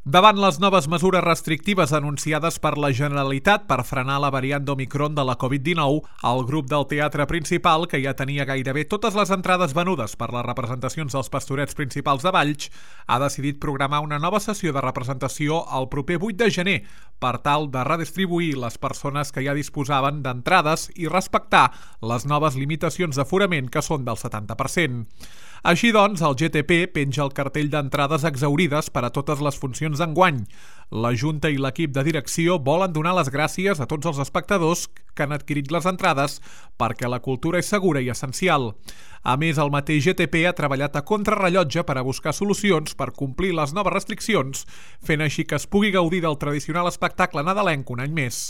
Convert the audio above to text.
Davant les noves mesures restrictives anunciades per la Generalitat per frenar la variant d'Omicron de la Covid-19, el grup del Teatre Principal, que ja tenia gairebé totes les entrades venudes per les representacions dels Pastorets Principals de Valls, ha decidit programar una nova sessió de representació el proper 8 de gener per tal de redistribuir les persones que ja disposaven d'entrades i respectar les noves limitacions d'aforament que són del 70%. Així doncs, el GTP penja el cartell d'entrades exaurides per a totes les funcions d'enguany. La Junta i l'equip de direcció volen donar les gràcies a tots els espectadors que han adquirit les entrades perquè la cultura és segura i essencial. A més, el mateix GTP ha treballat a contrarrellotge per a buscar solucions per complir les noves restriccions, fent així que es pugui gaudir del tradicional espectacle nadalenc un any més.